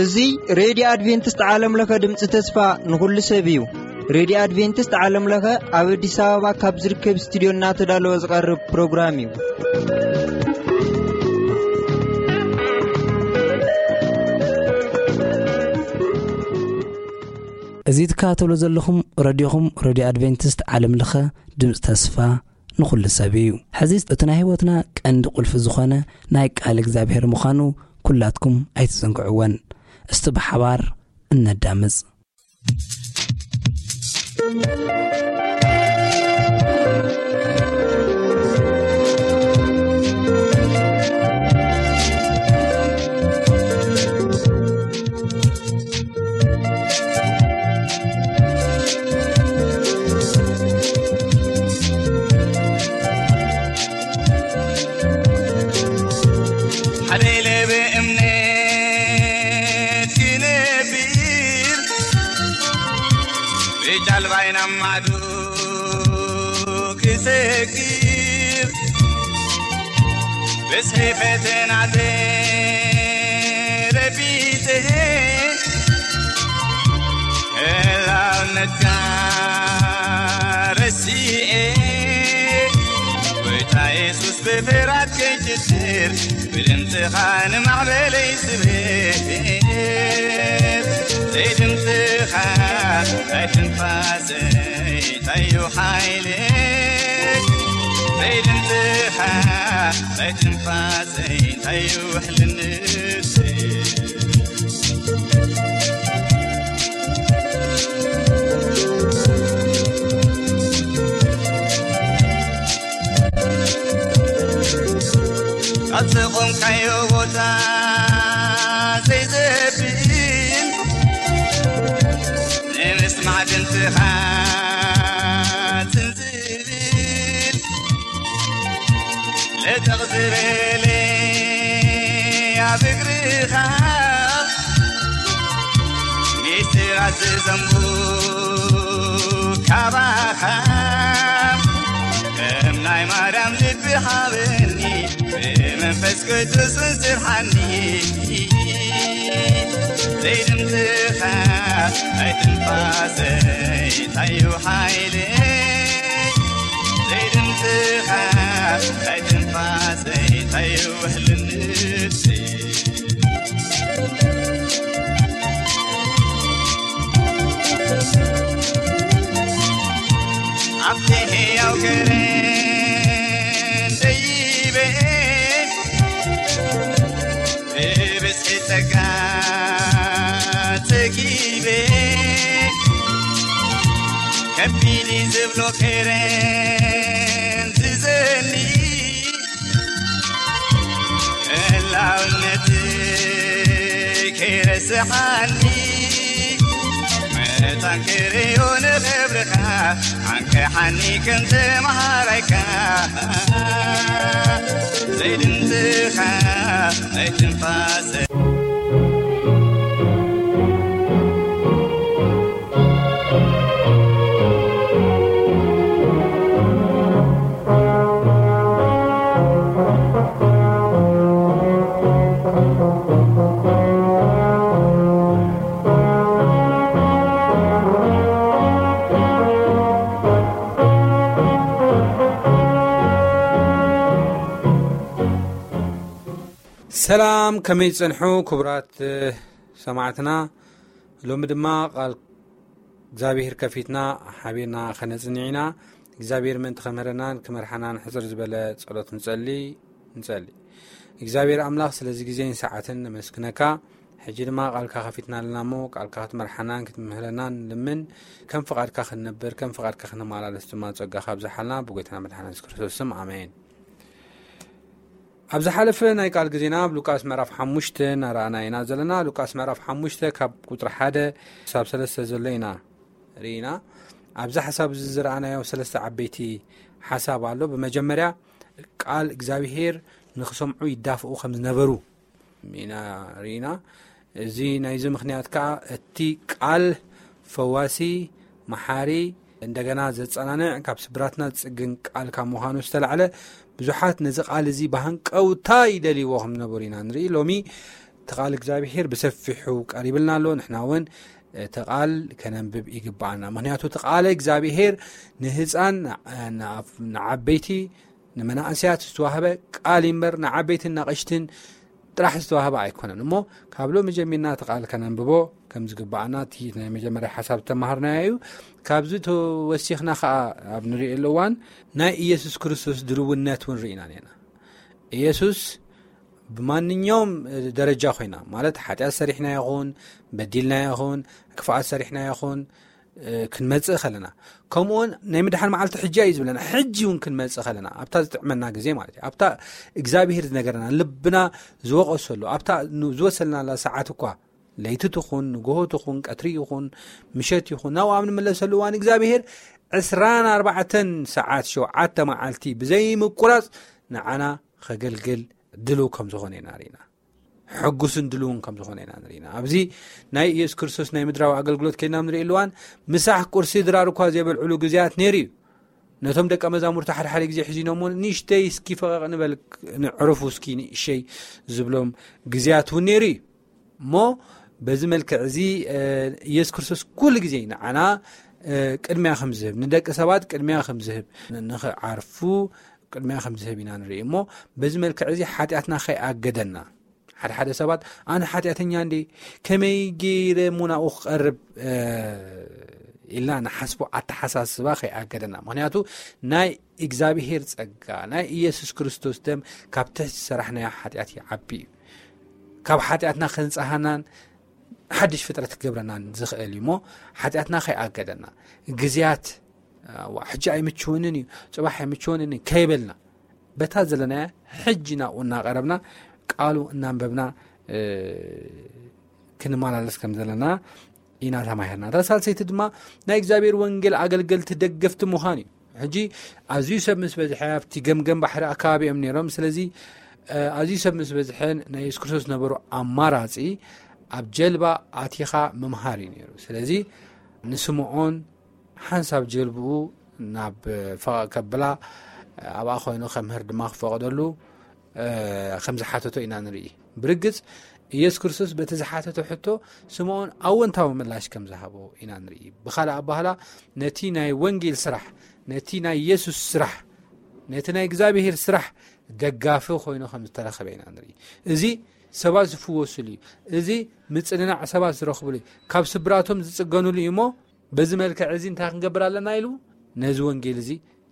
እዚ ሬድዮ ኣድቬንቲስት ዓለም ለኸ ድምፂ ተስፋ ንኹሉ ሰብ እዩ። ሬድዮ ኣድቬንቲስት ዓለም ለኸ ኣብ ኣዲስ ኣበባ ካብ ዝርከብ ስቱድዮ እናተዳለወ ዝቐርብ ፕሮግራም እዩ። እዚ ትከታተሉ ዘለኹም ረድዮኹም፣ ረድዮ ኣድቬንቲስት ዓለም ለኸ ድምፂ ተስፋ ንኹሉ ሰብ እዩ። ሕዚ እቲ ናይ ህይወትና ቀንዲ ቁልፊ ዝኾነ ናይ ቃል እግዚኣብሔር ምዃኑ ኩላትኩም ኣይትዘንግዕወን። እስቲ ብሓባር እነዳምፅ። ሓደ ኢለ ብእምነት ክነብር፣ ብጃልባይ ናብ ማዕዶ ክሰግር፣ ብዝሒ ፈተና ተረቢፀ፣ ህላውነትካ ረሲኤ፣ ጎይታ የሱስ ብፍርሃት ከይጭድር፣ ብድምፅኻ ንማዕበለይ ስብር። ዘይድምፅኻ ናይ ትንፋሰይ ታዩ ሓይሊ፣ ዘይድምፅኻ ናይ ትንፋሰይ ታዩ ውሕልነት። ኣብ ዝቖምካዮ ቦታ ዘይዘብል፣ ንምስማዕ ድምፅኻ ዝብል፣ ለጠቕ ዝበለ ኣብ እግርኻ፣ ሚስጢራት ዝዘንቡ ካባኻ፣ ከም ናይ ማርያም ልቢ ሃበኒ፣ ብመንፈስ ቅዱስ ስርሓኒ። ዘይድምፅኻ ናይ ትንፋሰይ ታዩ ሓይሊ፣ ዘይድምፅኻ ናይ ትንፋሰይ ታዩ ውሕልነት። ኣብቲ ህያው ከረን ደይበ፣ ብብዝሒ ጸጋ ጸጊበ፣ ከቢድ ዝብሎ ከረን ዝዘኒ፣ ህላውነት ከይረስዓኒ፣ መታን ክርእዮ ንኽብርኻ፣ ዓንቀሓኒ ከም ተምሃራይካ፣ ዘይድምፅኻ ናይ ትንፋሰ። ሰላም፣ ከመይ ጸንሑ ክቡራት ሰማዕትና? ሎሚ ድማ ቃል እግዚኣብሔር ከፊትና ሓቢርና ኸነጽንዕ ኢና። እግዚኣብሔር ምእንቲ ኸምህረናን ክመርሓናን ሕጽር ዝበለ ጸሎት ንጸሊ፣ ንጸሊ። እግዚኣብሔር ኣምላኽ ስለዚ ግዜን ሰዓትን ነመስግነካ። ሕጂ ድማ ቃልካ ከፊትና ኣለና እሞ ቃልካ ክትመርሓናን ክትምህረናን ንልምን። ከም ፍቓድካ ክንነብር፣ ከም ፍቓድካ ክንመላለስ ድማ ጸጋኻ ኣብዝሓልና ብጎይታና መድሓና የሱስ ክርስቶስ ስም ኣሜን። ኣብ ዝሓለፈ ናይ ቃል ግዜና ኣብ ሉቃስ ምዕራፍ ሓሙሽተ እናረኣና ኢና ዘለና። ሉቃስ ምዕራፍ ሓሙሽተ ካብ ቁጽሪ ሓደ ክሳብ ሰለስተ ዘሎ ኢና ርኢና። ኣብዚ ሓሳብ እዚ ዝረኣናዮ ሰለስተ ዓበይቲ ሓሳብ ኣሎ። ብመጀመርያ ቃል እግዚኣብሄር ንኽሰምዑ ይዳፍኡ ከም ዝነበሩ ኢና ርኢና። እዚ ናይዚ ምኽንያት ከኣ እቲ ቃል ፈዋሲ፣ መሓሪ፣ እንደገና ዘጸናንዕ፣ ካብ ስብራትና ዝጽግን ቃል ካብ ምዃኑ ዝተላዕለ፣ ብዙሓት ነዚ ቃል እዚ ብሃንቀውታ ይደልይዎ ከም ዝነበሩ ኢና ንርኢ። ሎሚ እቲ ቃል እግዚኣብሔር ብሰፊሑ ቀሪብልና ኣሎ። ንሕና እውን እቲ ቃል ከነንብብ ይግብኣና። ምኽንያቱ እቲ ቃል እግዚኣብሔር ንህፃን፣ ንዓበይቲ፣ ንመናእሰያት ዝተዋህበ ቃል እምበር ንዓበይትን ናቐሽትን ጥራሕ ዝተዋህበ ኣይኮነን። እሞ ካብ ሎሚ ጀሚርና እቲ ቃል ከነንብቦ ከም ዝግብኣና እቲ ናይ መጀመርያ ሓሳብ ተማሃርናዮ እዩ። ካብዚ ተወሲኽና ከዓ ኣብ ንሪእሉ እዋን ናይ ኢየሱስ ክርስቶስ ድልውነት እውን ርኢና ነና። ኢየሱስ ብማንኛውም ደረጃ ኮይና፣ ማለት ሓጢኣት ሰሪሕና ይኹን፣ በዲልና ይኹን፣ ክፍኣት ሰሪሕና ይኹን፣ ክንመጽእ ከለና፣ ከምኡውን ናይ ምድሓን መዓልቲ ሕጂ እዩ ዝብለና። ሕጂ እውን ክንመጽእ ከለና፣ ኣብታ ዝጥዕመና ግዜ ማለት እዩ፣ ኣብታ እግዚኣብሔር ዝነገረና፣ ልብና ዝወቐሰሉ፣ ኣብታ ን-፣ ዝወሰልናላ ሰዓት እኳ፣ ለይቲ ትኹን፣ ንግሆ ትኹን፣ ቀትሪ ይኹን፣ ምሸት ይኹን፣ ናብኡ ኣብ ንምለሰሉ እዋን፣ እግዚኣብሔር ዕስራን ኣርባዕተን ሰዓት፣ ሸውዓተ መዓልቲ ብዘይምቁራጽ ንዓና ከገልግል ድልው ከም ዝኾነ ኢና ርኢና። ሕጉስን ድልውን ከም ዝኾነ ኢና ንርኢና። ኣብዚ ናይ ኢየሱስ ክርስቶስ ናይ ምድራዊ ኣገልግሎት ከይና ንርኢ ኣለዋን፣ ምሳሕ ቁርሲ ድራር እኳ ዘይበልዕሉ ግዜያት ነይሩ እዩ። ነቶም ደቀ መዛሙርቲ ሓደ ሓደ ግዜ ሒዚኖሞ፣ "ንእሽተይ እስኪ ፈቐቕ ንበል፣ ንዕረፉ እስኪ ንእሸይ" ዝብሎም ግዜያት እውን ነይሩ እዩ። እሞ በዚ መልክዕ እዚ፣ እ፣ ኢየሱስ ክርስቶስ ኩሉ ግዜ ንዓና፣ እ፣ ቅድሚያ ከም ዝህብ፣ ንደቂ ሰባት ቅድሚያ ከም ዝህብ፣ ን-፣ ንኽዓርፉ ቅድሚያ ከም ዝህብ ኢና ንርኢ። እሞ በዚ መልክዕ እዚ ሓጢኣትና ከይኣገደና፣ ሓደ ሓደ ሰባት፣ "ኣነ ሓጢኣተኛ እንዴ፣ ከመይ ገይረ እሞ ናብኡ ክቐርብ?" እ፣ ኢልና ንሓስቦ ኣተሓሳስባ ከይኣገደና። ምኽንያቱ ናይ እግዚኣብሔር ጸጋ፣ ናይ ኢየሱስ ክርስቶስ ደም ካብ ትሕቲ ዝሰራሕናዮ ሓጢኣት ይዓቢ እዩ። ካብ ሓጢኣትና ከንጽሃናን ሓድሽ ፍጥረት ክገብረናን ዝኽእል እዩ። እሞ ሓጢኣትና ከይኣገደና፣ ግዜያት፣ "ዋ፣ ሕጂ ኣይምችውንን እዩ፣ ጽባሕ ኣይምችውንን እዩ" ከይበልና፣ በታ ዘለና ሕጂ ናብኡ እናቐረብና፣ ቃሉ እናንበብና፣ እ፣ ክንመላለስ ከም ዘለና ኢና ተማሂርና። እታ ሳልሰይቲ ድማ ናይ እግዚኣብሔር ወንጌል ኣገልገልቲ ደገፍቲ ምዃን እዩ። ሕጂ ኣዝዩ ሰብ ምስ በዝሐ፣ ኣብቲ ገምገም ባሕሪ ኣከባቢ እዮም ነይሮም። ስለዚ፣ እ፣ ኣዝዩ ሰብ ምስ በዝሐ፣ ናይ የሱስ ክርስቶስ ነበሩ ኣማራጺ ኣብ ጀልባ ኣቲኻ ምምሃር እዩ ነይሩ። ስለዚ ንስምዖን ሓንሳብ ጀልብኡ ናብ ፈቐቕ ከብላ፣ ኣብኣ ኮይኑ ከምህር ድማ ክፈቐደሉ፣ እ፣ ከም ዝሓተቶ ኢና ንርኢ። ብርግጽ፣ ኢየሱስ ክርስቶስ በቲ ዝሓተቶ ሕቶ ስምዖን ኣወንታዊ ምላሽ ከም ዝሃቦ ኢና ንርኢ። ብኻልእ ኣባህላ፣ ነቲ ናይ ወንጌል ስራሕ፣ ነቲ ናይ ኢየሱስ ስራሕ፣ ነቲ ናይ እግዚኣብሔር ስራሕ ደጋፊ ኮይኑ ከም ዝተረኸበ ኢና ንርኢ። እዚ ሰባት ዝፍወሱሉ እዩ። እዚ ምጽንናዕ ሰባት ዝረኽቡሉ እዩ። ካብ ስብራቶም ዝጽገኑሉ እዩ። እሞ በዚ መልክዕ እዚ እንታይ ክንገብር ኣለና ኢሉ፣ ነዚ ወንጌል እዚ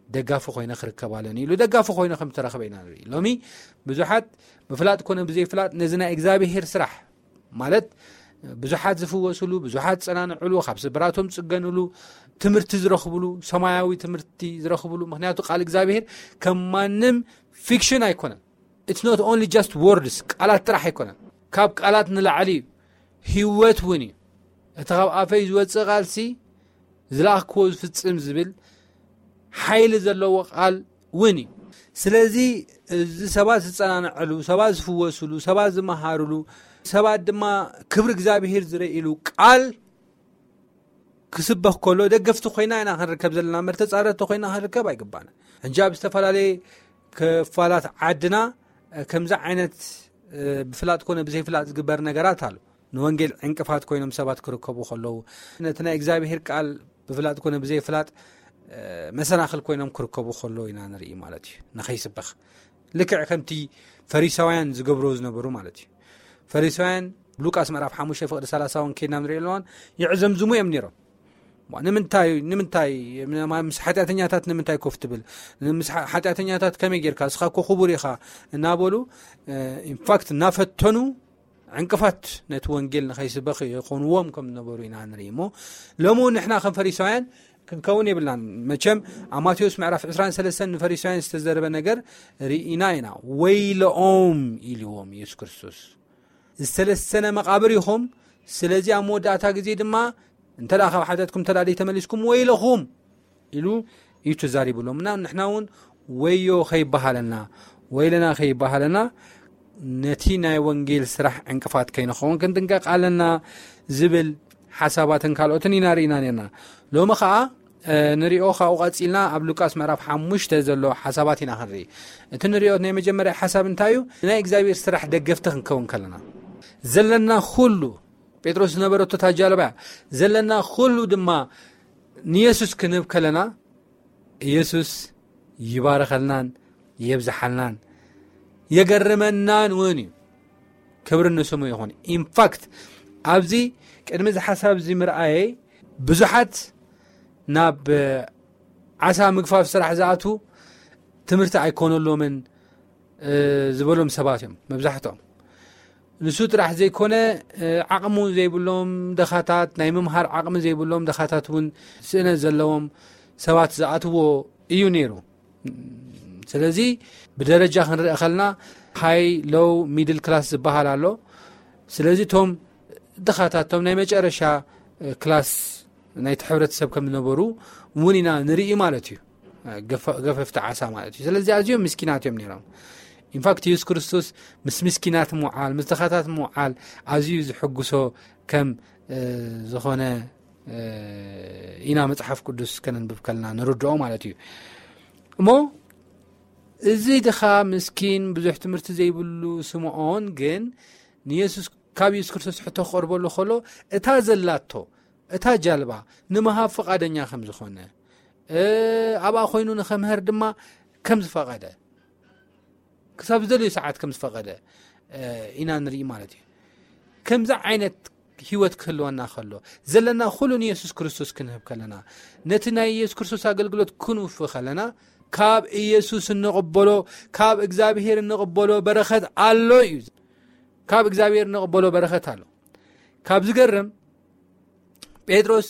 ደጋፊ ኮይነ ክርከብ ኣለኒ ኢሉ፣ ደጋፊ ኮይነ ከም ዝተረኽበ ኢና ንርኢ። ሎሚ ብዙሓት ብፍላጥ ኮነ ብዘይፍላጥ ነዚ ናይ እግዚኣብሔር ስራሕ፣ ማለት ብዙሓት ዝፍወሱሉ፣ ብዙሓት ዝጸናንዕሉ፣ ካብ ስብራቶም ዝጽገኑሉ፣ ትምህርቲ ዝረኽቡሉ፣ ሰማያዊ ትምህርቲ ዝረኽቡሉ፣ ምኽንያቱ ቃል እግዚኣብሔር ከም ማንም ፊክሽን ኣይኮነን። It's not only just words፣ ቃላት ጥራሕ ኣይኮነን። ካብ ቃላት ንላዕሊ እዩ፣ ህይወት እውን እዩ። እቲ ካብ ኣፈይ ዝወጽእ ቃልሲ ዝለኣኽክዎ ዝፍጽም ዝብል ሓይሊ ዘለዎ ቃል እውን እዩ። ስለዚ እዚ ሰባት ዝጸናንዐሉ፣ ሰባት ዝፍወሱሉ፣ ሰባት ዝመሃሩሉ፣ ሰባት ድማ ክብሪ እግዚኣብሔር ዝረእይሉ ቃል ክስበኽ ከሎ ደገፍቲ ኮይና ኢና ክንርከብ ዘለና እምበር ተጻረርቲ ኮይና ክንርከብ ኣይግባና። ሕጂ ኣብ ዝተፈላለየ ክፋላት ዓድና፣ እ፣ ከምዚ ዓይነት፣ እ፣ ብፍላጥ ኮነ ብዘይፍላጥ ዝግበር ነገራት ኣሎ። ንወንጌል ዕንቅፋት ኮይኖም ሰባት ክርከቡ ከለዉ፣ ነቲ ናይ እግዚኣብሔር ቃል ብፍላጥ ኮነ ብዘይፍላጥ፣ እ፣ መሰናኽል ኮይኖም ክርከቡ ከለዉ ኢና ንርኢ ማለት እዩ። ንኸይስበኽ ልክዕ ከምቲ ፈሪሳውያን ዝገብርዎ ዝነበሩ ማለት እዩ። ፈሪሳውያን ሉቃስ ምዕራፍ ሓሙሽተ ፍቕዲ ሰላሳ እውን ከይድና ንሪኦ ኣለዋን ይዕዘምዝሙ እዮም ነይሮም። ዋ፣ ንምንታይ፣ ንምንታይ ምስ ሓጢኣተኛታት ንምንታይ ኮፍ ትብል? ምስ ሓ-፣ ሓጢኣተኛታት ከመይ ጌርካ? ንስኻ እኮ ክቡር ኢኻ እናበሉ፣ እ፣ ኢንፋክት እናፈተኑ ዕንቅፋት ነቲ ወንጌል ንኸይስበኽ የኾንዎም ከም ዝነበሩ ኢና ንርኢ። እሞ ሎሚ እውን ንሕና ከም ፈሪሳውያን ክንከውን የብልናን። መቸም ኣብ ማቴዎስ ምዕራፍ ዕስራን ሰለስተን ንፈሪሳውያን ዝተዘረበ ነገር ርኢና ኢና። "ወይለኦም" ኢልዎም ኢየሱስ ክርስቶስ፣ "ዝተለሰነ መቓብር ኢኹም፣ ስለዚ ኣብ መወዳእታ ግዜ ድማ እንተ ደኣ ካብ ሓጢኣትኩም እንተ ደኣ ዘይተመሊስኩም ወይለኹም" ኢሉ እዩ ተዛሪቡሎም። እና ንሕና እውን ወዮ ከይበሃለና፣ ወይለና ከይበሃለና፣ ነቲ ናይ ወንጌል ስራሕ ዕንቅፋት ከይንኸውን ክንጥንቀቕ ኣለና ዝብል ሓሳባትን ካልኦትን ኢና ርኢና ነርና። ሎሚ ኸኣ ንሪኦ። ካብኡ ቀፂልና ኣብ ሉቃስ ምዕራፍ ሓሙሽተ ዘሎ ሓሳባት ኢና ክንርኢ። እቲ ንሪኦ ናይ መጀመርያ ሓሳብ እንታይ እዩ? ናይ እግዚኣብሔር ስራሕ ደገፍቲ ክንከውን ከለና ዘለና ኩሉ፣ ጴጥሮስ ዝነበረቶ እታ ጃልባ እያ፣ ዘለና ኩሉ ድማ ንየሱስ ክንህብ ከለና፣ ኢየሱስ ይባርኸልናን የብዝሓልናን የገርመናን እውን እዩ። ክብሪ ንስሙ ይኹን። ኢንፋክት ኣብዚ ቅድሚ እዚ ሓሳብ እዚ ምርኣየይ ብዙሓት ናብ ዓሳ ምግፋፍ ስራሕ ዝኣትዉ ትምህርቲ ኣይኮነሎምን ዝበሎም ሰባት እዮም መብዛሕትኦም። ንሱ ጥራሕ ዘይኮነ ዓቕሙ ዘይብሎም ደኻታት፣ ናይ ምምሃር ዓቕሚ ዘይብሎም ደኻታት እውን ስእነት ዘለዎም ሰባት ዝኣትዎ እዩ ነይሩ። ስለዚ ብደረጃ ክንርኢ ከልና ሃይ፣ ሎው፣ ሚድል ክላስ ዝበሃል ኣሎ። ስለዚ እቶም ድኻታት፣ እቶም ናይ መጨረሻ ክላስ ናይቲ ሕብረተሰብ ከም ዝነበሩ እውን ኢና ንርኢ ማለት እዩ። ገፈፍቲ ዓሳ ማለት እዩ። ስለዚ ኣዝዮም ምስኪናት እዮም ነይሮም። ኢንፋክት የሱስ ክርስቶስ ምስ ምስኪናት ምውዓል፣ ምስ ድኻታት ምውዓል ኣዝዩ ዝሕጉሶ ከም ዝኾነ ኢና መጽሓፍ ቅዱስ ከነንብብ ከልና ንርድኦ ማለት እዩ። እሞ እዚ ድኻ ምስኪን ብዙሕ ትምህርቲ ዘይብሉ ስምዖን ግን ንየሱስ ካብ የሱስ ክርስቶስ ሕቶ ክቐርበሉ ከሎ እታ ዘላቶ እታ ጃልባ ንምሃብ ፍቓደኛ ከም ዝኾነ፣ ኣብኣ ኮይኑ ንኸምህር ድማ ከም ዝፈቐደ፣ ክሳብ ዝደልዩ ሰዓት ከም ዝፈቐደ ኢና ንርኢ ማለት እዩ። ከምዚ ዓይነት ህይወት ክህልወና ከሎ፣ ዘለና ኩሉ ንየሱስ ክርስቶስ ክንህብ ከለና፣ ነቲ ናይ የሱስ ክርስቶስ ኣገልግሎት ክንውፍ ከለና፣ ካብ ኢየሱስ እንቕበሎ፣ ካብ እግዚኣብሔር እንቕበሎ በረኸት ኣሎ እዩ። ካብ እግዚኣብሔር እንቕበሎ በረኸት ኣሎ። ካብ ዝገርም ጴጥሮስ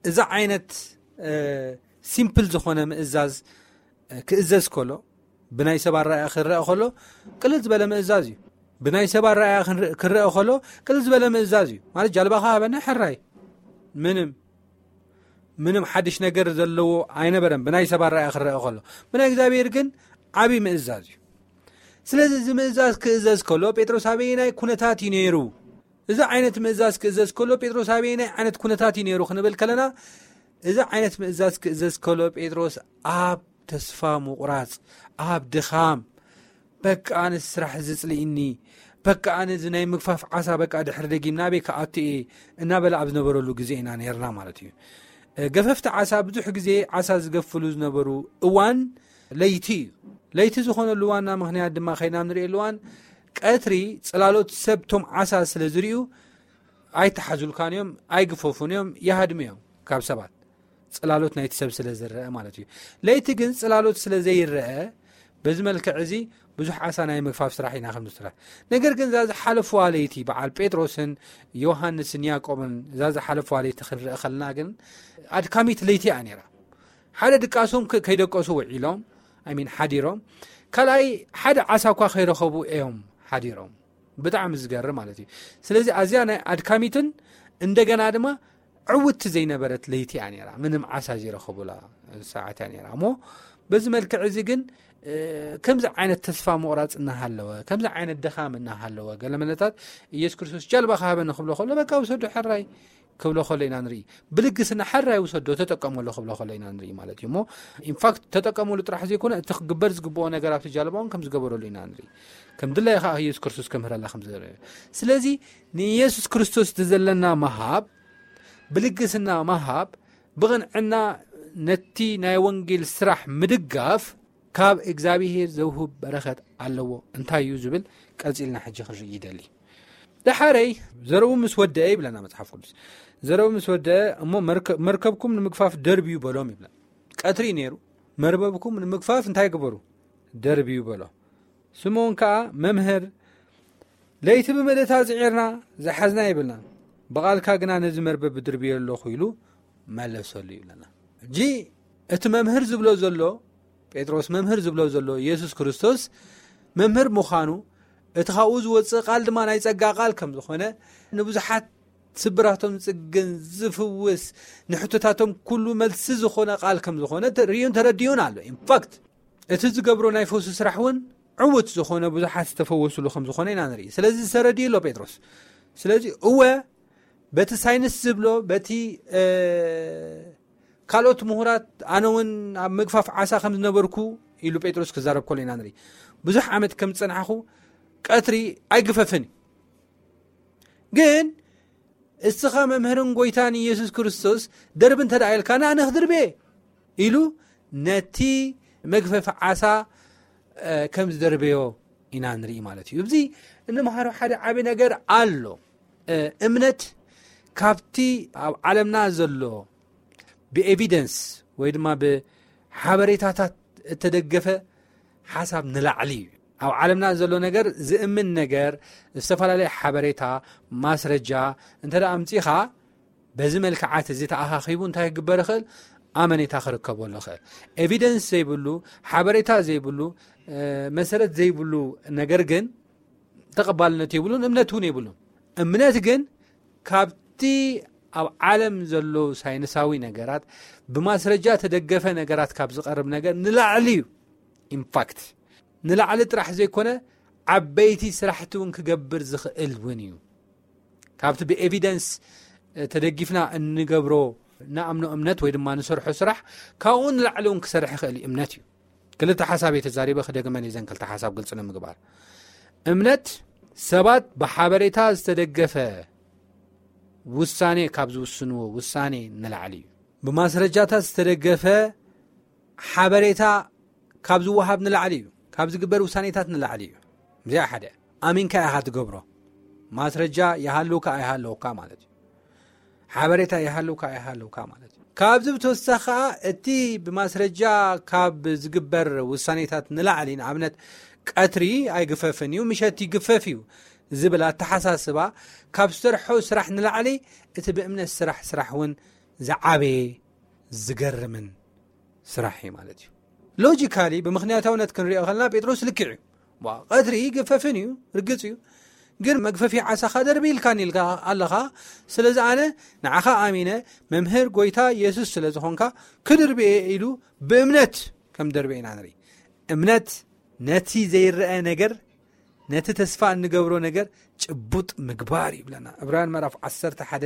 እዚ ዓይነት ሲምፕል ዝኾነ ምእዛዝ ክእዘዝ ከሎ፣ ብናይ ሰብ ኣረኣእያ ክረአ ከሎ ቅልል ዝበለ ምእዛዝ እዩ። ብናይ ሰብ ኣረኣእያ ክረአ ከሎ ቅልል ዝበለ ምእዛዝ እዩ። ማለት ጃልባኻ ሃበና ሕራይ፣ ምንም ምንም ሓድሽ ነገር ዘለዎ ኣይነበረን። ብናይ ሰብ ኣረኣእያ ክረአ ከሎ፣ ብናይ እግዚኣብሔር ግን ዓብዪ ምእዛዝ እዩ። ስለዚ እዚ ምእዛዝ ክእዘዝ ከሎ ጴጥሮስ ኣበየናይ ኩነታት እዩ ነይሩ? እዚ ዓይነት ምእዛዝ ክእዘዝ ከሎ ጴጥሮስ ኣበየናይ ዓይነት ኩነታት እዩ ነይሩ ክንብል ከለና፣ እዚ ዓይነት ምእዛዝ ክእዘዝ ከሎ ጴጥሮስ ኣብ ተስፋ ምቑራጽ፣ ኣብ ድኻም፣ በቃ ኣነ ስራሕ እዚ ጽልኢኒ፣ በቃ ኣነ እዚ ናይ ምግፋፍ ዓሳ በቃ ድሕሪ ደጊም ናበይ ክኣቱ እየ እናበለ ኣብ ዝነበረሉ ግዜ ኢና ነርና ማለት እዩ። ገፈፍቲ ዓሳ ብዙሕ ግዜ ዓሳ ዝገፍሉ ዝነበሩ እዋን ለይቲ እዩ። ለይቲ ዝኾነሉ ዋና ምኽንያት ድማ ከይና ንርእየሉ እዋን ቀትሪ ጽላሎት ሰብ ቶም ዓሳ ስለ ዝርእዩ ኣይተሓዙልካን እዮም፣ ኣይግፈፉን እዮም፣ ይሃድሙ እዮም ካብ ሰባት። ጽላሎት ናይቲ ሰብ ስለ ዝረአ ማለት እዩ። ለይቲ ግን ጽላሎት ስለ ዘይረአ በዚ መልክዕ እዚ ብዙሕ ዓሳ ናይ ምግፋፍ ስራሕ ኢና ከም ዝስራሕ። ነገር ግን እዛ ዝሓለፍዋ ለይቲ በዓል ጴጥሮስን ዮሃንስን ያዕቆብን እዛ ዝሓለፍዋ ለይቲ ክንርኢ ከለና ግን ኣድካሚት ለይቲ እያ ነይራ። ሓደ ድቃሶም ከይደቀሱ ውዒሎም፣ ኣይ ሚን ሓዲሮም፣ ካልኣይ ሓደ ዓሳ እኳ ከይረኸቡ እዮም ሓዲሮም። ብጣዕሚ ዝገርም ማለት እዩ። ስለዚ ኣዝያ ናይ ኣድካሚትን እንደገና ድማ ዕውቲ ዘይነበረት ለይቲ እያ ነይራ፣ ምንም ዓሳ ዘይረኸቡላ ሰዓት እያ ነይራ። እሞ በዚ መልክዕ እዚ ግን ከምዚ ዓይነት ተስፋ ምቑራፅ እናሃለወ፣ ከምዚ ዓይነት ድኻም እናሃለወ፣ ገለ መለታት ኢየሱስ ክርስቶስ ጃልባ ክሃበኒ ክብሎ ከሎ በቃ ውሰዶ ሕራይ ክብሎ ከሎ ኢና ንርኢ። ብልግስና ሕራይ ውሰዶ ተጠቀመሉ ክብሎ ከሎ ኢና ንርኢ ማለት እዩ። እሞ ኢንፋክት ተጠቀመሉ ጥራሕ ዘይኮነ እቲ ክግበር ዝግብኦ ነገር ኣብቲ ጃልባ እውን ከም ዝገበረሉ ኢና ንርኢ። ከም ድላዩ ከዓ ኢየሱስ ክርስቶስ ከምህረላ ከም ዝደለየ። ስለዚ ንኢየሱስ ክርስቶስ ዘለና ምሃብ፣ ብልግስና ምሃብ፣ ብቕንዕና ነቲ ናይ ወንጌል ስራሕ ምድጋፍ ካብ እግዚኣብሔር ዘውህብ በረኸት ኣለዎ። እንታይ እዩ ዝብል ቀጺልና ሕጂ ክንርኢ ይደሊ። ደሓረይ ዘረቡ ምስ ወደአ ይብለና መጽሓፍ ቅዱስ። ዘረቡ ምስ ወደአ እሞ መርከብኩም ንምግፋፍ ደርብዩ በሎም ይብለና። ቀትሪ ነይሩ። መርበብኩም ንምግፋፍ እንታይ ግበሩ? ደርብዩ በሎ። ስምዖን ከኣ መምህር ለይቲ ብምልእታ ጽዒርና ዝሓዝና ይብልና፣ ብቓልካ ግና ነዚ መርበብ ብድርብዮ ኣለኹ ኢሉ መለሰሉ ይብለና። ሕጂ እቲ መምህር ዝብሎ ዘሎ፣ ጴጥሮስ መምህር ዝብሎ ዘሎ ኢየሱስ ክርስቶስ መምህር ምዃኑ፣ እቲ ካብኡ ዝወጽእ ቃል ድማ ናይ ጸጋ ቃል ከም ዝኾነ፣ ንብዙሓት ስብራቶም ዝጽግን ዝፍውስ፣ ንሕቶታቶም ኩሉ መልሲ ዝኾነ ቃል ከም ዝኾነ ርእዩን ተረዲኡን ኣሎ። ኢንፋክት እቲ ዝገብሮ ናይ ፈውሲ ስራሕ እውን ዕውት ዝኾነ ብዙሓት ዝተፈወሱሉ ከም ዝኾነ ኢና ንርኢ። ስለዚ ዝተረድዩ ኣሎ ጴጥሮስ። ስለዚ እወ በቲ ሳይንስ ዝብሎ በቲ ካልኦት ምሁራት ኣነ እውን ኣብ ምግፋፍ ዓሳ ከም ዝነበርኩ ኢሉ ጴጥሮስ ክዛረብ ከሎ ኢና ንርኢ። ብዙሕ ዓመት ከም ዝጸናሕኹ ቀትሪ ኣይግፈፍን እዩ። ግን እስኻ መምህርን ጎይታን ኢየሱስ ክርስቶስ ደርቢ እንተ ደኣ ኢልካ ንኣነ ክድርብየ ኢሉ ነቲ መግፈፊ ዓሳ ከም ዝደርበዮ ኢና ንርኢ ማለት እዩ። እዚ እንምሃሮ ሓደ ዓቢ ነገር ኣሎ። እምነት ካብቲ ኣብ ዓለምና ዘሎ ብኤቪደንስ ወይ ድማ ብሓበሬታታት እተደገፈ ሓሳብ ንላዕሊ እዩ። ኣብ ዓለምና ዘሎ ነገር ዝእምን ነገር ዝተፈላለየ ሓበሬታ ማስረጃ እንተ ኣምፂኻ በዚ መልክዓት እዚ ተኣኻኺቡ እንታይ ክግበር ይኽእል? ኣመኔታ ክርከበሉ ይኽእል። ኤቪደንስ ዘይብሉ ሓበሬታ ዘይብሉ መሰረት ዘይብሉ ነገር ግን ተቐባልነት የብሉን፣ እምነት እውን የብሉን። እምነት ግን ካብቲ ኣብ ዓለም ዘለዉ ሳይንሳዊ ነገራት ብማስረጃ ተደገፈ ነገራት ካብ ዝቐርብ ነገር ንላዕሊ እዩ። ኢንፋክት ንላዕሊ ጥራሕ ዘይኮነ ዓበይቲ ስራሕቲ እውን ክገብር ዝኽእል እውን እዩ። ካብቲ ብኤቪደንስ ተደጊፍና እንገብሮ ንኣምኖ እምነት ወይ ድማ ንሰርሖ ስራሕ ካብኡ ንላዕሊ እውን ክሰርሕ ይኽእል እዩ እምነት እዩ። ክልተ ሓሳብ እየ ተዛሪበ፣ ክደግመን እየን ክልተ ሓሳብ ግልፂ ንምግባር። እምነት ሰባት ብሓበሬታ ዝተደገፈ ውሳኔ ካብ ዝውስንዎ ውሳኔ ንላዕሊ እዩ። ብማስረጃታት ዝተደገፈ ሓበሬታ ካብ ዝወሃብ ንላዕሊ እዩ። ካብ ዝግበር ውሳኔታት ንላዕሊ እዩ። እዚኣ ሓደ ኣሚንካ ኢኻ ትገብሮ። ማስረጃ ይሃልውካ ኣይሃለውካ ማለት እዩ። ሓበሬታ ይሃልውካ ኣይሃለውካ ማለት እዩ። ካብዚ ብተወሳኺ ከዓ እቲ ብማስረጃ ካብ ዝግበር ውሳኔታት ንላዕሊ፣ ንኣብነት ቀትሪ ኣይግፈፍን እዩ፣ ምሸት ይግፈፍ እዩ ዝብል ኣተሓሳስባ ካብ ዝሰርሖ ስራሕ ንላዕሊ እቲ ብእምነት ስራሕ ስራሕ እውን ዝዓበየ ዝገርምን ስራሕ እዩ ማለት እዩ። ሎጂካሊ ብምኽንያታውነት ክንሪኦ ከለና ጴጥሮስ ልክዕ እዩ። ዋ፣ ቀትሪ ይግፈፍን እዩ፣ ርግጽ እዩ። ግን መግፈፊ ዓሳኻ ደርቢ ኢልካን ኢልካ ኣለኻ። ስለዚ ኣነ ንዓኻ ኣሚነ መምህር ጎይታ የሱስ ስለ ዝኾንካ ክድርብየ ኢሉ ብእምነት ከም ደርበ ኢና ንርኢ። እምነት ነቲ ዘይረአ ነገር፣ ነቲ ተስፋ እንገብሮ ነገር ጭቡጥ ምግባር ይብለና። ዕብራውያን ምዕራፍ ዓሰርተ ሓደ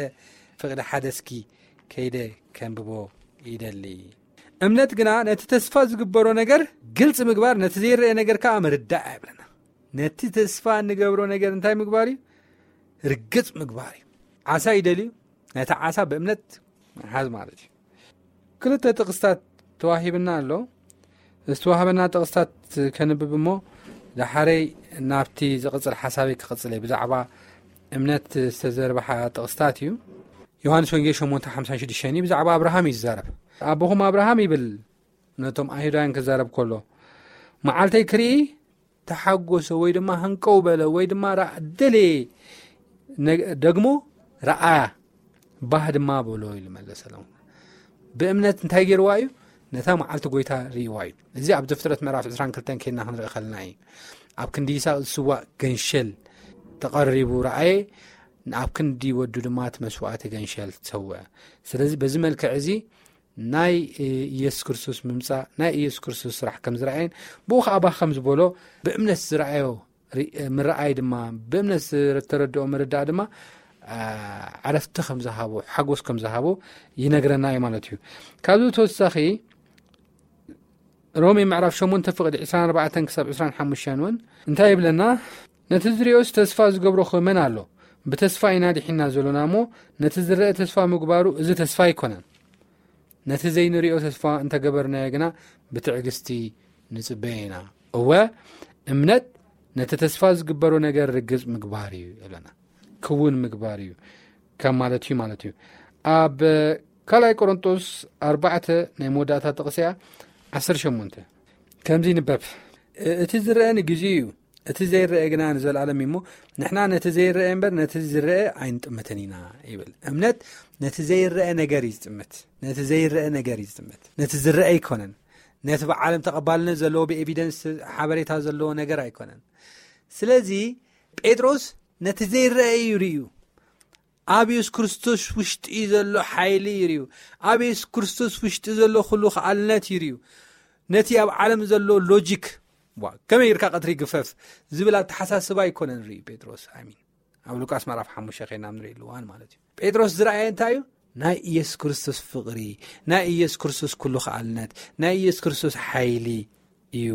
ፍቕዲ ሓደ እስኪ ከይደ ከንብቦ ይደሊ። እምነት ግና ነቲ ተስፋ ዝግበሮ ነገር ግልጽ ምግባር፣ ነቲ ዘይረአ ነገር ከኣ ምርዳእ ይብለና። ነቲ ተስፋ እንገብሮ ነገር እንታይ ምግባር እዩ? ርግጽ ምግባር እዩ። ዓሳ ይደልዩ፣ ነቲ ዓሳ ብእምነት ምሓዝ ማለት እዩ። ክልተ ጥቕስታት ተዋሂብና ኣሎ። ዝተዋህበና ጥቕስታት ከንብብ እሞ፣ ዳሓረይ ናብቲ ዝቕጽል ሓሳበይ ክቕጽል እየ። ብዛዕባ እምነት ዝተዘርበሓ ጥቕስታት እዩ። ዮሃንስ ወንጌል ሸሞንተ ሓምሳን ሽዱሽተን እዩ። ብዛዕባ ኣብርሃም እዩ ዝዛረብ። ኣቦኹም ኣብርሃም ይብል ነቶም ኣይሁዳውያን ክዛረብ ከሎ፣ መዓልተይ ክርኢ ተሓጎሰ ወይ ድማ ሃንቀው በለ ወይ ድማ ራ-፣ ደለየ ነግ-፣ ደግሞ ረኣያ፣ ባህ ድማ በሎ ኢሉ መለሰሎም። ብእምነት እንታይ ገይርዋ እዩ? ነታ መዓልቲ ጎይታ ርእይዋ እዩ። እዚ ኣብ ዘፍጥረት ምዕራፍ ዕስራን ክልተን ኬድና ክንርኢ ከለና እዩ። ኣብ ክንዲ ይስሐቅ ዝስዋእ ገንሸል ተቐሪቡ ረኣየ፣ ኣብ ክንዲ ወዱ ድማ እቲ መስዋእቲ ገንሸል ተሰውአ። ስለዚ በዚ መልክዕ እዚ ናይ፣ እ፣ ኢየሱስ ክርስቶስ ምምጻእ፣ ናይ ኢየሱስ ክርስቶስ ስራሕ ከም ዝረኣየን ብኡ ኸዓ ባህ ከም ዝበሎ ብእምነት ዝረኣዮ ሪ-፣ ምርኣይ ድማ፣ ብእምነት ዝተረድኦ ምርዳእ ድማ፣ አ፣ ዕረፍቲ ከም ዝሃቦ፣ ሓጎስ ከም ዝሃቦ ይነግረና እዩ ማለት እዩ። ካብዚ ተወሳኺ ሮሜ ምዕራፍ ሸሞንተ ፍቕዲ ዕስራን ኣርባዕተን ክሳብ ዕስራን ሓሙሽተን እውን እንታይ ይብለና? ነቲ ዝሪኦስ ተስፋ ዝገብሮ ኸ መን ኣሎ? ብተስፋ ኢና ድሒና ዘሎና እሞ፣ ነቲ ዝረአ ተስፋ ምግባሩ እዚ ተስፋ ኣይኮነን። ነቲ ዘይንሪኦ ተስፋ እንተገበርናዮ ግና ብትዕግስቲ ንጽበዮ ኢና። እወ፣ እምነት ነቲ ተስፋ ዝግበሮ ነገር ርግጽ ምግባር እዩ ይብለና። ክውን ምግባር እዩ ከም ማለት እዩ ማለት እዩ። ኣብ ካልኣይ ቆሮንጦስ ኣርባዕተ ናይ መወዳእታ ጥቕሲ እያ፣ ዓሰርተ ሸሞንተ ከምዚ ይንበብ፣ እ-፣ እቲ ዝረአ ንግዜኡ እዩ፣ እቲ ዘይረአ ግና ንዘለኣለም እዩ። እሞ ንሕና ነቲ ዘይረአ እምበር ነቲ ዝረአ ኣይንጥምትን ኢና ይብል። እምነት ነቲ ዘይረአ ነገር እዩ ዝጥምት፣ ነቲ ዘይረአ ነገር እዩ ዝጥምት፣ ነቲ ዝረአ ኣይኮነን። ነቲ ብዓለም ተቐባልነት ዘለዎ ብኤቪደንስ ሓበሬታ ዘለዎ ነገር ኣይኮነን። ስለዚ ጴጥሮስ ነቲ ዘይረአ እዩ ርእዩ። ኣብ የሱስ ክርስቶስ ውሽጢ ዘሎ ሓይሊ ይርእዩ። ኣብ የሱስ ክርስቶስ ውሽጢ ዘሎ ኩሉ ከኣልነት ይርእዩ። ነቲ ኣብ ዓለም ዘሎ ሎጂክ፣ ዋ፣ ከመይ ኢልካ ቀትሪ ግፈፍ ዝብል ኣተሓሳስባ ኣይኮነን ርእዩ ጴጥሮስ። ኣሚን። ኣብ ሉቃስ ምዕራፍ ሓሙሽተ ኸይና ንርኢ ኣለዋን ማለት እዩ። ጴጥሮስ ዝረኣየ እንታይ እዩ? ናይ ኢየሱስ ክርስቶስ ፍቕሪ፣ ናይ ኢየሱስ ክርስቶስ ኩሉ ከኣልነት፣ ናይ ኢየሱስ ክርስቶስ ሓይሊ እዩ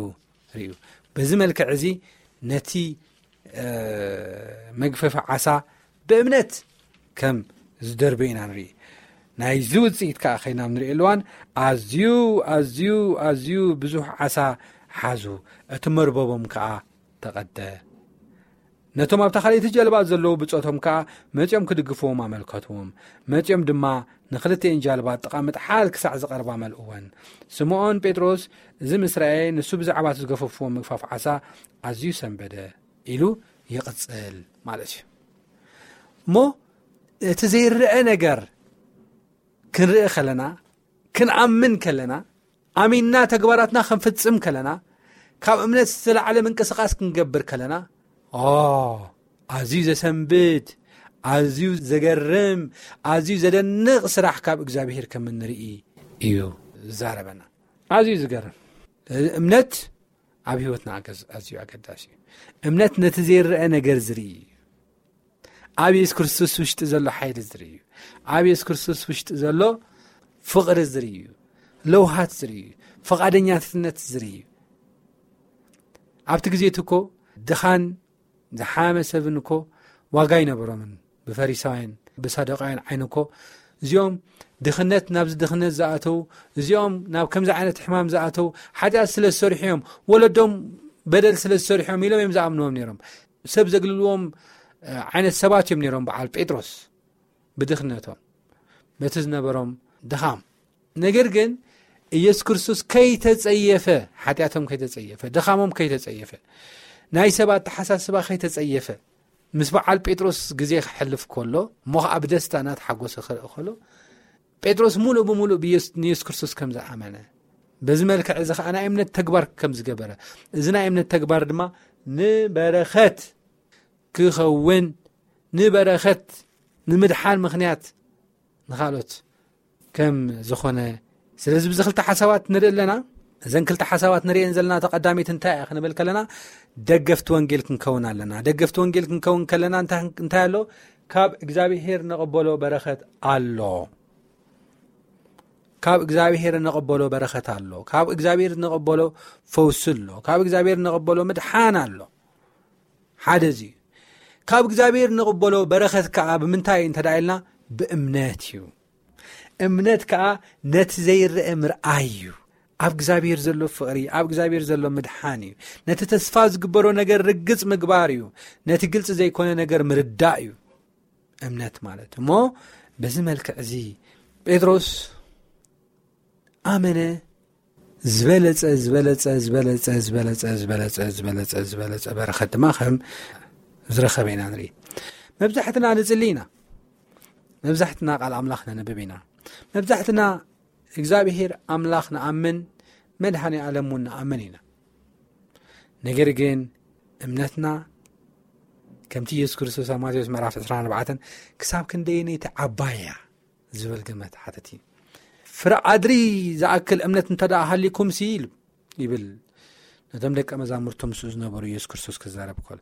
ርእዩ። በዚ መልክዕ እዚ ነቲ መግፈፊ ዓሳ ብእምነት ከም ዝደርበ ኢና ንርኢ። ናይዚ ውፅኢት ከዓ ከይና ንርኢ ኣለዋን ኣዝዩ ኣዝዩ ኣዝዩ ብዙሕ ዓሳ ሓዙ፣ እቲ መርበቦም ከዓ ተቐደ። ነቶም ኣብታ ካልኣይቲ ጀልባ ዘለዉ ብጾቶም ከኣ መጺኦም ክድግፍዎም ኣመልከትዎም። መጺኦም ድማ ንኽልቲኤን ጃልባ ጥቓ ምጥሓል ክሳዕ ዝቐርባ መልእወን። ስምኦን ጴጥሮስ እዚ ምስ ረኣየ፣ ንሱ ብዛዕባ እቲ ዝገፈፍዎ ምግፋፍ ዓሳ ኣዝዩ ሰንበደ ኢሉ ይቕጽል ማለት እዩ። እሞ እቲ ዘይረአ ነገር ክንርኢ ከለና፣ ክንኣምን ከለና፣ ኣሚንና ተግባራትና ክንፍጽም ከለና፣ ካብ እምነት ዝተላዕለ ምንቅስቃስ ክንገብር ከለና፣ ኦ ኣዝዩ ዘሰንብድ፣ ኣዝዩ ዘገርም፣ ኣዝዩ ዘደንቕ ስራሕ ካብ እግዚኣብሄር ከም እንርኢ እዩ ዝዛረበና። ኣዝዩ ዝገርም እምነት ኣብ ህይወትና ኣገዝ- ኣዝዩ ኣገዳሲ እዩ። እምነት ነቲ ዘይረአ ነገር ዝርኢ እዩ። ኣብ የሱስ ክርስቶስ ውሽጢ ዘሎ ሓይሊ ዝርኢ እዩ። ኣብ የሱስ ክርስቶስ ውሽጢ ዘሎ ፍቕሪ ዝርኢ እዩ። ለውሃት ዝርኢ እዩ። ፈቓደኛትነት ዝርኢ እዩ። ኣብቲ ግዜ እቲ እኮ ድኻን ዝሓመ ሰብን እኮ ዋጋ ኣይነበሮምን። ብፈሪሳውያን ብሳዱቃውያን ዓይኒ እኮ እዚኦም ድኽነት ናብዚ ድኽነት ዝኣተው፣ እዚኦም ናብ ከምዚ ዓይነት ሕማም ዝኣተው ሓጢኣት ስለ ዝሰርሑ እዮም፣ ወለዶም በደል ስለ ዝሰርሑ እዮም ኢሎም እዮም ዝኣምንዎም ነይሮም። ሰብ ዘግልልዎም ዓይነት ሰባት እዮም ነይሮም በዓል ጴጥሮስ ብድኽነቶም በቲ ዝነበሮም ድኻም። ነገር ግን ኢየሱስ ክርስቶስ ከይተጸየፈ፣ ሓጢኣቶም ከይተጸየፈ፣ ድኻሞም ከይተጸየፈ፣ ናይ ሰብ ኣተሓሳስባ ከይተጸየፈ፣ ምስ በዓል ጴጥሮስ ግዜ ክሕልፍ ከሎ፣ እሞ ኸዓ ብደስታ እናተሓጎሰ ክርኢ ከሎ፣ ጴጥሮስ ሙሉእ ብሙሉእ ብየሱ- ንየሱስ ክርስቶስ ከም ዝኣመነ፣ በዚ መልክዕ እዚ ኸዓ ናይ እምነት ተግባር ከም ዝገበረ፣ እዚ ናይ እምነት ተግባር ድማ ንበረኸት ክኸውን፣ ንበረኸት፣ ንምድሓን ምኽንያት ንኻልኦት ከም ዝኾነ። ስለዚ ብዚ ክልተ ሓሳባት ንርኢ ኣለና። እዘን ክልተ ሓሳባት ንርእየን ዘለና ተቐዳሚት እንታይ እያ ክንብል ከለና፣ ደገፍቲ ወንጌል ክንከውን ኣለና። ደገፍቲ ወንጌል ክንከውን ከለና እንታይ እንታይ ኣሎ? ካብ እግዚኣብሄር ንቕበሎ በረኸት ኣሎ። ካብ እግዚኣብሄር ንቕበሎ በረኸት ኣሎ። ካብ እግዚኣብሄር ንቕበሎ ፈውሲ ኣሎ። ካብ እግዚኣብሄር ንቕበሎ ምድሓን ኣሎ። ሓደ እዚ እዩ። ካብ እግዚኣብሄር ንቕበሎ በረኸት ከኣ ብምንታይ እዩ እንተ ደኣ ኢልና፣ ብእምነት እዩ። እምነት ከኣ ነቲ ዘይረአ ምርኣይ እዩ። ኣብ እግዚኣብሄር ዘሎ ፍቕሪ፣ ኣብ እግዚኣብሄር ዘሎ ምድሓን እዩ። ነቲ ተስፋ ዝግበሮ ነገር ርግጽ ምግባር እዩ። ነቲ ግልጺ ዘይኮነ ነገር ምርዳእ እዩ እምነት ማለት። እሞ በዚ መልክዕ እዚ ጴጥሮስ ኣመነ፣ ዝበለጸ ዝበለጸ ዝበለጸ ዝበለጸ ዝበለጸ ዝበለጸ ዝበለጸ በረኸት ድማ ከም ዝረኸበ ኢና ንርኢ። መብዛሕትና ንጽሊ ኢና። መብዛሕትና ቃል ኣምላኽ ነንብብ ኢና። መብዛሕትና እግዚኣብሄር ኣምላኽ ንኣምን፣ መድሃኔ ዓለም እውን ንኣምን ኢና። ነገር ግን እምነትና ከምቲ ኢየሱስ ክርስቶስ ኣብ ማቴዎስ ምዕራፍ ዕስራን ኣርባዕተን ክሳብ ክንደየነይቲ ዓባይ እያ ዝብል ግመት ሓተት እዩ። ፍረ ኣድሪ ዝኣክል እምነት እንተ ደኣ ሃሊኩም ሲ ኢሉ ይብል ነቶም ደቀ መዛሙርቱ ምስኡ ዝነበሩ ኢየሱስ ክርስቶስ ክዛረብ ከሎ፣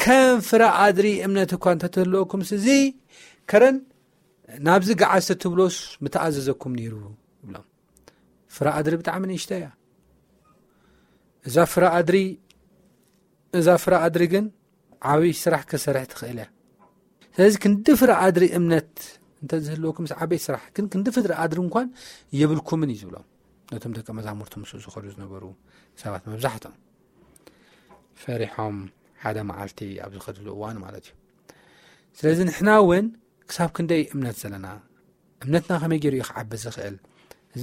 ከም ፍረ ኣድሪ እምነት እኳ እንተትህልወኩም ሲ እዚ ከረን ናብዚ ገዓዝ ተትብሎስ ምተኣዘዘኩም ነይሩ ይብሎም። ፍረ ኣድሪ ብጣዕሚ ንእሽቶ እያ። እዛ ፍረ ኣድሪ እዛ ፍረ ኣድሪ ግን ዓብይ ስራሕ ክሰርሕ ትኽእል እያ። ስለዚ ክንዲ ፍረ ኣድሪ እምነት እንተ ዝህልወኩም ምስ ዓበይ ስራሕ ግን ክንዲ ፍረ ኣድሪ እንኳን የብልኩምን እዩ ዝብሎም። ነቶም ደቀ መዛሙርቱ ምስኡ ዝኸዱ ዝነበሩ ሰባት መብዛሕትኦም ፈሪሖም ሓደ መዓልቲ ኣብ ዝኸድሉ እዋን ማለት እዩ። ስለዚ ንሕና እውን ክሳብ ክንደይ እምነት ዘለና፣ እምነትና ከመይ ገይሩ እዩ ክዓቢ ዝኽእል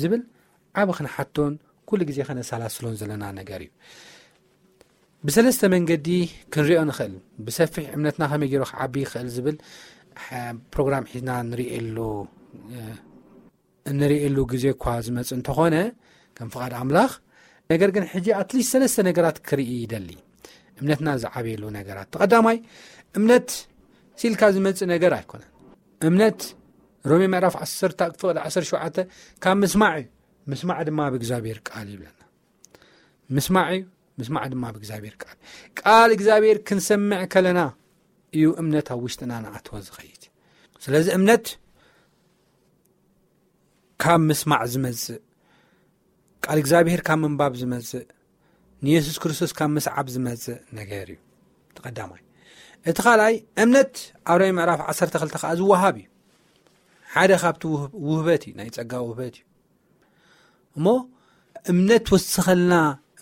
ዝብል ዓቢ ክንሓቶን ኩሉ ግዜ ከነሰላስሎን ዘለና ነገር እዩ። ብሰለስተ መንገዲ ክንሪኦ ንኽእል። ብሰፊሕ እምነትና ከመይ ገይሩ ክዓቢ ይኽእል ዝብል ፕሮግራም ሒዝና ንርእየሉ እንርእየሉ ግዜ እኳ ዝመጽእ እንተኾነ ከም ፍቓድ ኣምላኽ፣ ነገር ግን ሕጂ ኣትሊስት ሰለስተ ነገራት ክርኢ ይደሊ። እምነትና ዝዓበየሉ ነገራት፣ ተቐዳማይ እምነት ሲልካ ዝመጽእ ነገር ኣይኮነን። እምነት ሮሜ ምዕራፍ ዓሰርተ ፍቕዲ ዓሰርተ ሸውዓተ ካብ ምስማዕ እዩ፣ ምስማዕ ድማ ብእግዚኣብሔር ቃል ይብለና። ምስማዕ እዩ፣ ምስማዕ ድማ ብእግዚኣብሔር ቃል። ቃል እግዚኣብሔር ክንሰምዕ ከለና እዩ እምነት ኣብ ውሽጥና ንኣትወ ዝኸይድ። ስለዚ እምነት ካብ ምስማዕ ዝመጽእ፣ ቃል እግዚኣብሔር ካብ ምንባብ ዝመጽእ፣ ንየሱስ ክርስቶስ ካብ ምስዓብ ዝመጽእ ነገር እዩ። እቲ ቀዳማይ። እቲ ካልኣይ፣ እምነት ኣብ ሮሜ ምዕራፍ ዓሰርተ ክልተ ከኣ ዝወሃብ እዩ። ሓደ ካብቲ ውህብ-፣ ውህበት እዩ፣ ናይ ጸጋ ውህበት እዩ። እሞ እምነት ወስኸልና፣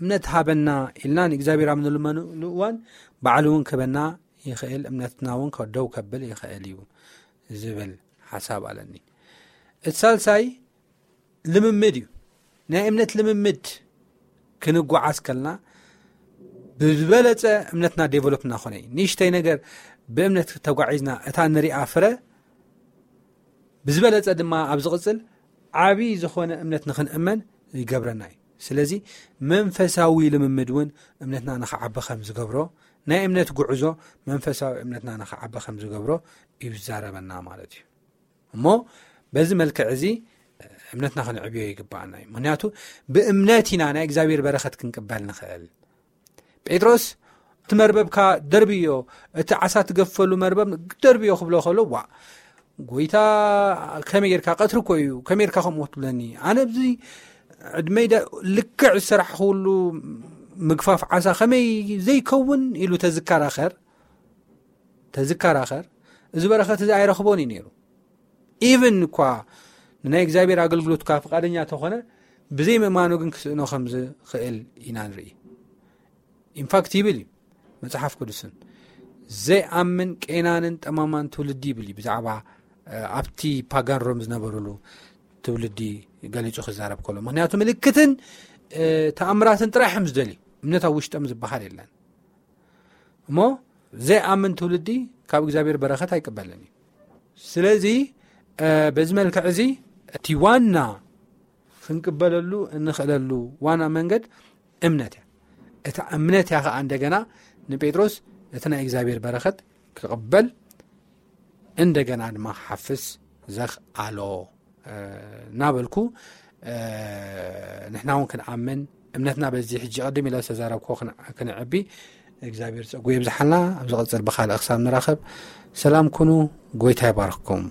እምነት ሃበና ኢልና ንእግዚኣብሔር ኣብ ንልመነሉ እዋን፣ ባዕሉ እውን ክህበና ይኽእል፣ እምነትና እውን ከ-፣ ደው ከብል ይኽእል እዩ ዝብል ሓሳብ ኣለኒ። እቲ ሳልሳይ ልምምድ እዩ። ናይ እምነት ልምምድ ክንጓዓዝ ከልና ብዝበለጸ እምነትና ዴቨሎፕ እናኾነ እዩ። ንእሽተይ ነገር ብእምነት ተጓዒዝና እታ ንሪኣ ፍረ ብዝበለጸ ድማ ኣብ ዝቕጽል ዓቢ ዝኾነ እምነት ንኽንእመን ይገብረና እዩ። ስለዚ መንፈሳዊ ልምምድ እውን እምነትና ንኽዓቢ ከም ዝገብሮ፣ ናይ እምነት ጉዕዞ መንፈሳዊ እምነትና ንኽዓቢ ከም ዝገብሮ እዩ ዝዛረበና ማለት እዩ። እሞ በዚ መልክዕ እዚ እምነትና ክንዕብዮ ይግባኣና እዩ። ምኽንያቱ ብእምነት ኢና ናይ እግዚኣብሔር በረኸት ክንቅበል ንኽእል። ጴጥሮስ፣ "እቲ መርበብካ ደርብዮ፣ እቲ ዓሳ ትገፈሉ መርበብ ደርብዮ" ክብሎ ከሎ፣ "ዋ፣ ጎይታ፣ ከመይ ጌርካ? ቀትሪ እኮ እዩ፣ ከመይ ጌርካ ከምኡ ትብለኒ? ኣነ ኣብዚ ዕድመይ ደ-፣ ልክዕ ዝሰራሕኽሉ ምግፋፍ ዓሳ ከመይ ዘይከውን?" ኢሉ ተዝከራኸር፣ ተዝከራኸር፣ እዚ በረኸት እዚ ኣይረኽቦን እዩ ነይሩ። ኢቭን እኳ ንናይ እግዚኣብሔር ኣገልግሎት እኳ ፍቓደኛ ተኾነ፣ ብዘይ ምእማኑ ግን ክስእኖ ከም ዝኽእል ኢና ንርኢ። ኢንፋክት ይብል እዩ መጽሓፍ ቅዱስን፣ "ዘይኣምን ቄናንን ጠማማን ትውልዲ" ይብል እዩ ብዛዕባ፣ እ፣ ኣብቲ ፓጋን ሮም ዝነበሩሉ ትውልዲ ገሊጹ ክዛረብ ከሎ። ምኽንያቱ ምልክትን፣ እ፣ ተኣምራትን ጥራይ እዮም ዝደልዩ። እምነት ኣብ ውሽጦም ዝበሃል የለን። እሞ ዘይኣምን ትውልዲ ካብ እግዚኣብሔር በረኸት ኣይቅበልን እዩ። ስለዚ፣ እ፣ በዚ መልክዕ እዚ እቲ ዋና ክንቅበለሉ እንኽእለሉ ዋና መንገድ እምነት እያ። እታ እምነት እያ ኸዓ እንደገና ንጴጥሮስ እቲ ናይ እግዚኣብሔር በረኸት ክቕበል እንደገና ድማ ክሓፍስ ዘኽኣሎ፣ እ፣ እናበልኩ፣ እ፣ ንሕና እውን ክንኣምን እምነትና በዚ ሕጂ ቅድም ኢለ ዝተዛረብኮ ክን-፣ ክንዕቢ እግዚኣብሔር ጸጉ የብዝሓልና። ኣብ ዝቐጽል ብኻልእ ክሳብ ንራኸብ ሰላም ኩኑ። ጎይታ ይባርኽኩም።